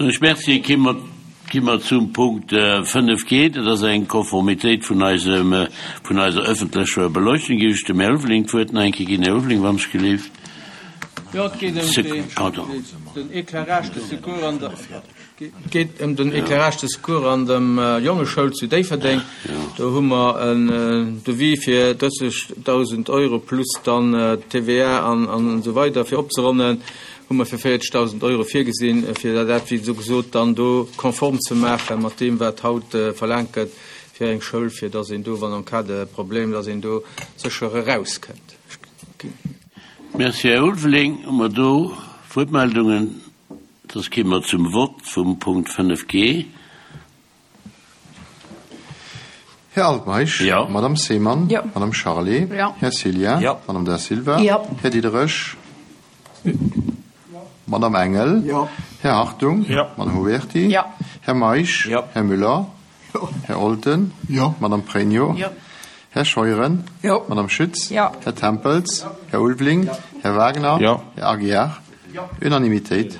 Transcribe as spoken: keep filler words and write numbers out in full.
Soen ech Merci. Gi mer, gi mer zum Punkt fënnef G. Dat ass eng Konformitéit vun eisem, vun eiser öffentlecher Beleuchtung. Géif ech dem Här Ulveling d'Wuert nach eng Kéier ginn. Här Ulveling, wann ech gelift. Jo, et geet ëm den Éclairage de secours an der, et geet ëm den Éclairage de secours an dem Jongeschoul zu Déifferdeng. Do hu mer en Devis fir drëssegdausend Euro plus dann T V A an esou weider fir opzeronnen, hu mer fir véierzegdausend Euro virgesinn, fir dat, wéi esou gesot, dann do konform ze maache mat deem, wat haut verlaangt gëtt fir eng Schoul, fir dass een do, wann en cas de problème, dass een do sécher erauskënnt. Merci, Här Ulveling. Hu mer do Wuertmeldungen? Soss gi mer zum Vott vum Punkt fënnef G. Här Altmeisch. Jo. Madame Seemann. Jo. Madame Charlé. Jo. Här Cillien. Jo. Madame Da Silva. Jo. Här Diderich. Madame Engel. Jo. Här Hartung. Jo. Madame Huberti. Jo. Här Meisch. Jo. Här Müller. Här Olten. Jo. Madame Pregno. Jo. Här Scheuren. Jo. Madame Schütz. Jo. Här Tempels. Här Ulveling. Här Wagner. Jo. Här Aguiar. Unanimitéit.